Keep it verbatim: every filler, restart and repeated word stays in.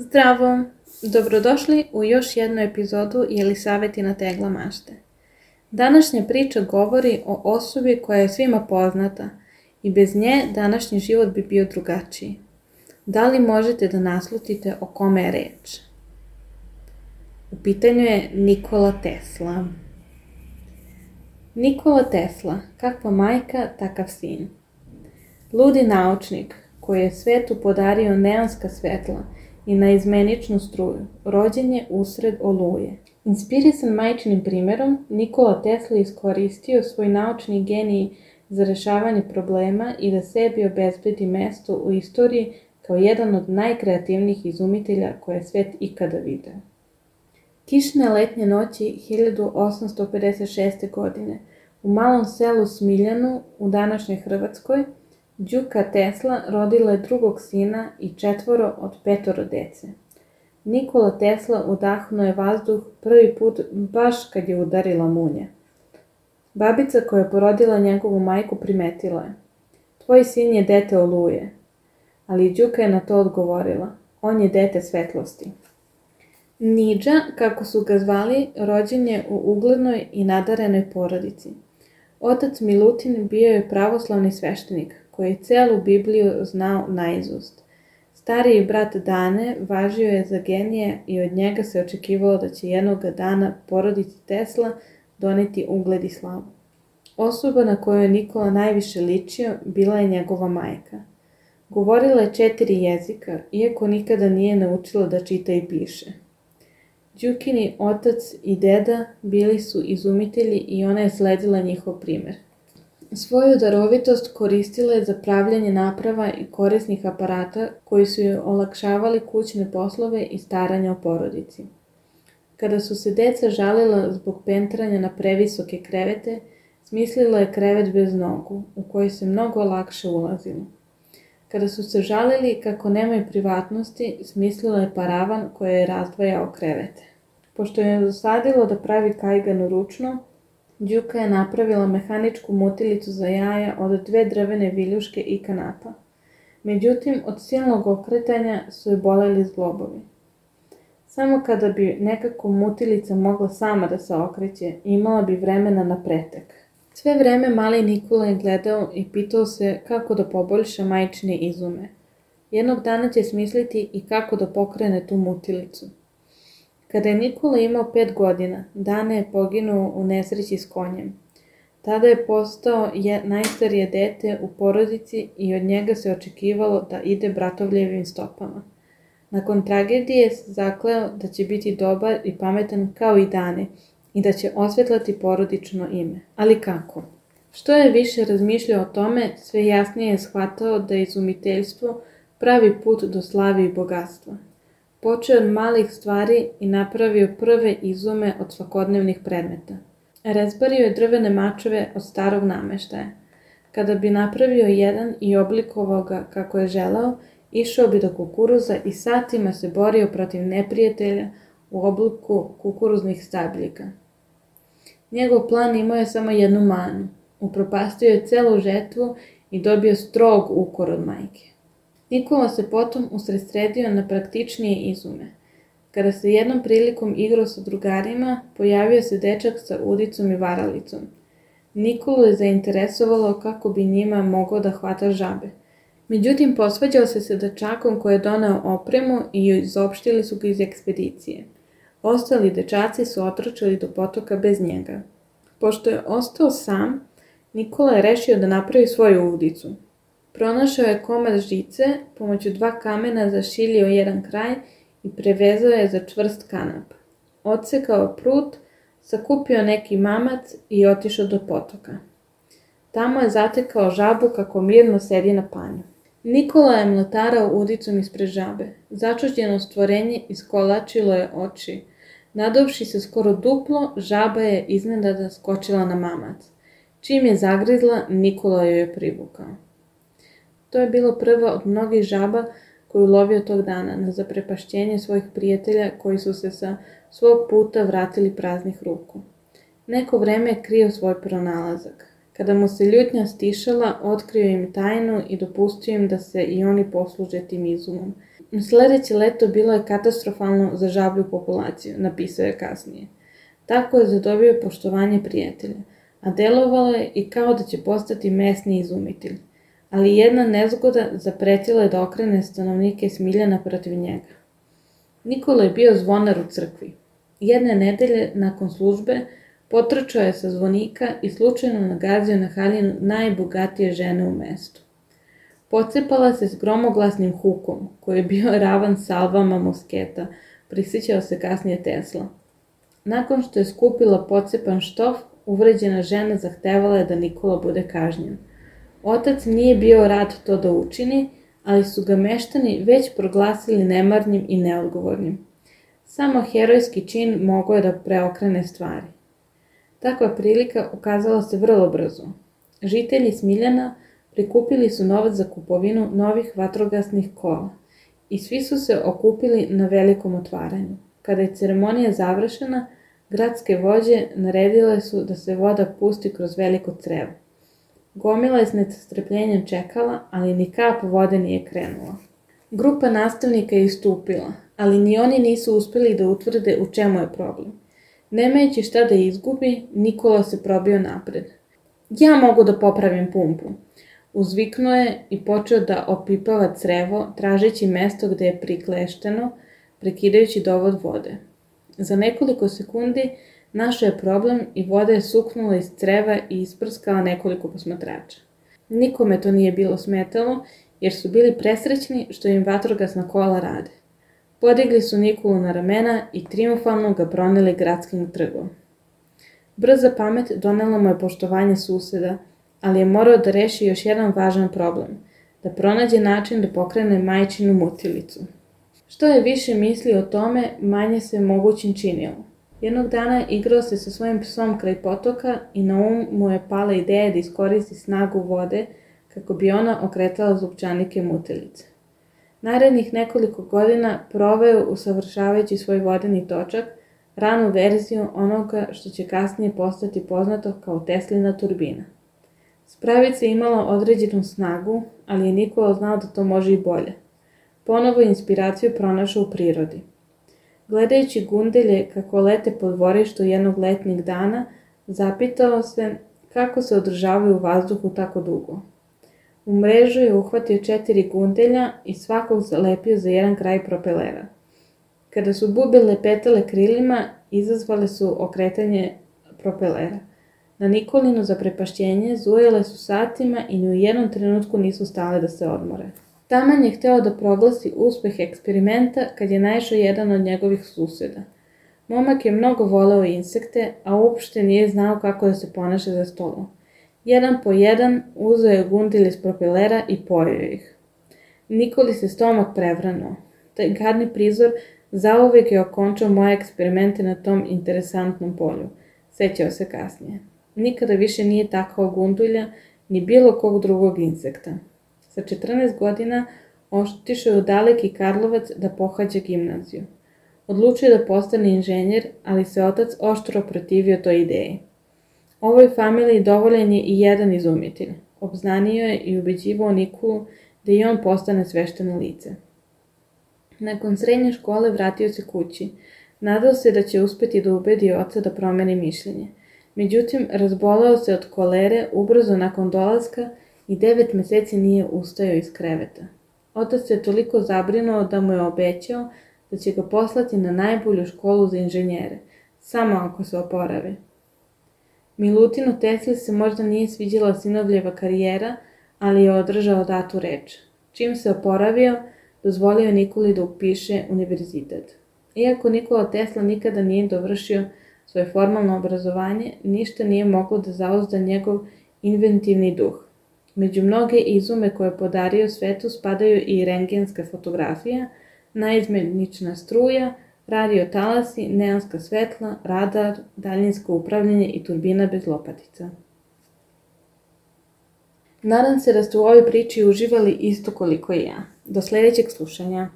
Zdravo! Dobrodošli u još jednu epizodu Jelisavetina tegla mašte. Današnja priča govori o osobi koja je svima poznata i bez nje današnji život bi bio drugačiji. Da li možete da naslutite o kome je reč? U pitanju je Nikola Tesla. Nikola Tesla, kakva majka, takav sin. Ludi naučnik koji je svetu podario neonska svetla i naizmeničnu struju, rođen je usred oluje. Inspirisan majčinim primerom, Nikola Tesla iskoristio svoj naučni genij za rešavanje problema i da sebi obezbedi mesto u istoriji kao jedan od najkreativnijih izumitelja koje je svet ikada video. Kišne letnje noći hiljadu osamsto pedeset šeste. godine u malom selu Smiljanu u današnjoj Hrvatskoj Đuka Tesla rodila je drugog sina i četvoro od petoro dece. Nikola Tesla udahnuo je vazduh prvi put baš kad je udarila munja. Babica koja je porodila njegovu majku primetila je: "Tvoj sin je dete oluje." Ali Đuka je na to odgovorila: "On je dete svetlosti." Nidža, kako su ga zvali, rođen je u uglednoj i nadarenoj porodici. Otac Milutin bio je pravoslavni sveštenik koji je celu Bibliju znao naizust. Stariji brat Dane važio je za genije i od njega se očekivalo da će jednog dana porodici Tesla doneti ugled i slavu. Osoba na koju je Nikola najviše ličio bila je njegova majka. Govorila je četiri jezika, iako nikada nije naučila da čita i piše. Đukini otac i deda bili su izumitelji i ona je sledila njihov primer. Svoju darovitost koristila je za pravljanje naprava i korisnih aparata koji su joj olakšavali kućne poslove i staranja o porodici. Kada su se deca žalila zbog pentranja na previsoke krevete, smislila je krevet bez nogu, u koji se mnogo lakše ulazilo. Kada su se žalili kako nemaju privatnosti, smislila je paravan koji je razdvajao krevete. Pošto je dosadilo da pravi kajganu ručno, Đuka je napravila mehaničku mutilicu za jaja od dve drvene viljuške i kanapa. Međutim, od silnog okretanja su je boleli zglobovi. Samo kada bi nekako mutilica mogla sama da se okreće, imala bi vremena na pretek. Sve vreme mali Nikola je gledao i pitao se kako da poboljša majčine izume. Jednog dana će smisliti i kako da pokrene tu mutilicu. Kada je Nikola imao pet godina, Dane je poginuo u nesreći s konjem. Tada je postao je najstarije dete u porodici i od njega se očekivalo da ide bratovljevim stopama. Nakon tragedije se zakleo da će biti dobar i pametan kao i Dane i da će osvetlati porodično ime. Ali kako? Što je više razmišljao o tome, sve jasnije je shvatao da je izumiteljstvo pravi put do slave i bogatstva. Počeo od malih stvari i napravio prve izume od svakodnevnih predmeta. Rezbario je drvene mačeve od starog nameštaja. Kada bi napravio jedan i oblikovao ga kako je želeo, išao bi do kukuruza i satima se borio protiv neprijatelja u obliku kukuruznih stabljika. Njegov plan imao je samo jednu manu. Upropastio je celu žetvu i dobio strog ukor od majke. Nikola se potom usredsredio na praktičnije izume. Kada se jednom prilikom igrao sa drugarima, pojavio se dečak sa udicom i varalicom. Nikolu je zainteresovalo kako bi njima mogao da hvata žabe. Međutim, posvađao se sa dečakom koji je doneo opremu i izopštili su ga iz ekspedicije. Ostali dečaci su otrčali do potoka bez njega. Pošto je ostao sam, Nikola je rešio da napravi svoju udicu. Pronašao je komad žice, pomoću dva kamena zašiljio jedan kraj i prevezao je za čvrst kanap. Odsekao prut, sakupio neki mamac i otišao do potoka. Tamo je zatekao žabu kako mirno sedi na panju. Nikola je mlatarao udicom ispred žabe. Začuđeno stvorenje iskolačilo je oči. Nadovši se skoro duplo, žaba je iznenada skočila na mamac. Čim je zagrizla, Nikola joj je privukao. To je bilo prva od mnogih žaba koju lovio tog dana na zaprepašćenje svojih prijatelja koji su se sa svog puta vratili praznih ruku. Neko vreme je krio svoj pronalazak. Kada mu se ljutnja stišala, otkrio im tajnu i dopustio im da se i oni posluže tim izumom. Sljedeće leto bilo je katastrofalno za žablju populaciju, napisao je kasnije. Tako je zadobio poštovanje prijatelja, a delovalo je i kao da će postati mesni izumitelj. Ali jedna nezgoda zapretila je da okrene stanovnike Smiljana protiv njega. Nikola je bio zvonar u crkvi. Jedne nedelje nakon službe potrčao je sa zvonika i slučajno nagazio na haljinu najbogatije žene u mestu. Pocepala se s gromoglasnim hukom, koji je bio ravan salvama mosketa, prisjećao se kasnije Tesla. Nakon što je skupila pocepan štof, uvređena žena zahtevala je da Nikola bude kažnjen. Otac nije bio rad to da učini, ali su ga meštani već proglasili nemarnim i neodgovornim. Samo herojski čin mogao je da preokrene stvari. Takva prilika ukazala se vrlo brzo. Žitelji Smiljana prikupili su novac za kupovinu novih vatrogasnih kola i svi su se okupili na velikom otvaranju. Kada je ceremonija završena, gradske vođe naredile su da se voda pusti kroz veliko crevo. Gomila je s nestrpljenjem čekala, ali ni kap vode nije krenula. Grupa nastavnika je istupila, ali ni oni nisu uspjeli da utvrde u čemu je problem. Nemajući šta da izgubi, Nikola se probio napred. Ja mogu da popravim pumpu. Uzviknuo je i počeo da opipava crevo, tražeći mesto gde je priklešteno, prekidajući dovod vode. Za nekoliko sekundi našao je problem i voda je suknula iz creva i isprskala nekoliko posmatrača. Nikome to nije bilo smetalo, jer su bili presrećni što im vatrogasna kola rade. Podigli su Nikolu na ramena i trijumfalno ga proneli gradskim trgom. Brza pamet donela mu je poštovanje suseda, ali je morao da reši još jedan važan problem, da pronađe način da pokrene majčinu mutilicu. Što je više mislio o tome, manje se mogućim činilo. Jednog dana igrao se sa svojim psom kraj potoka i na um mu je pala ideja da iskoristi snagu vode kako bi ona okretala zupčanike mutilice. Narednih nekoliko godina proveo usavršavajući svoj vodeni točak, ranu verziju onoga što će kasnije postati poznato kao Teslina turbina. Spravica je imala određenu snagu, ali je Nikola znao da to može i bolje. Ponovo inspiraciju pronašao u prirodi. Gledajući gundelje kako lete po dvorištu jednog letnjeg dana, zapitao se kako se održavaju u vazduhu tako dugo. U mrežu je uhvatio četiri gundelja i svakog zalepio za jedan kraj propelera. Kada su bube lepetale krilima, izazvale su okretanje propelera. Na Nikolino zaprepašćenje zujele su satima i ni u jednom trenutku nisu stale da se odmore. Taman je hteo da proglasi uspeh eksperimenta kad je naišao jedan od njegovih suseda. Momak je mnogo voleo insekte, a uopšte nije znao kako da se ponaša za stolom. Jedan po jedan uzeo je gundilj iz propelera i pojeo ih. Nikoli se stomak prevranuo. Taj gadni prizor zauvek je okončao moje eksperimente na tom interesantnom polju, sećao se kasnije. Nikada više nije takao gundulja ni bilo kog drugog insekta. Sa četrnaest godina otišao je u daleki Karlovac da pohađa gimnaziju. Odlučio da postane inženjer, ali se otac oštro protivio toj ideji. Ovoj familiji dovoljen je i jedan izumitelj. Obznanio je i ubeđivao Nikolu da i on postane svešteno lice. Nakon srednje škole vratio se kući. Nadao se da će uspeti da ubedi oca da promeni mišljenje. Međutim, razboleo se od kolere ubrzo nakon dolaska i devet meseci nije ustajao iz kreveta. Otac se toliko zabrinuo da mu je obećao da će ga poslati na najbolju školu za inženjere, samo ako se oporavi. Milutinu Tesli se možda nije sviđala sinovljeva karijera, ali je održao datu reč. Čim se oporavio, dozvolio Nikoli da upiše univerzitet. Iako Nikola Tesla nikada nije dovršio svoje formalno obrazovanje, ništa nije moglo da zauzda njegov inventivni duh. Među mnoge izume koje je podario svetu spadaju i rentgenska fotografija, naizmenična struja, radio talasi, neonska svetla, radar, daljinsko upravljanje i turbina bez lopatica. Nadam se da ste u ovoj priči uživali isto koliko i ja. Do sljedećeg slušanja.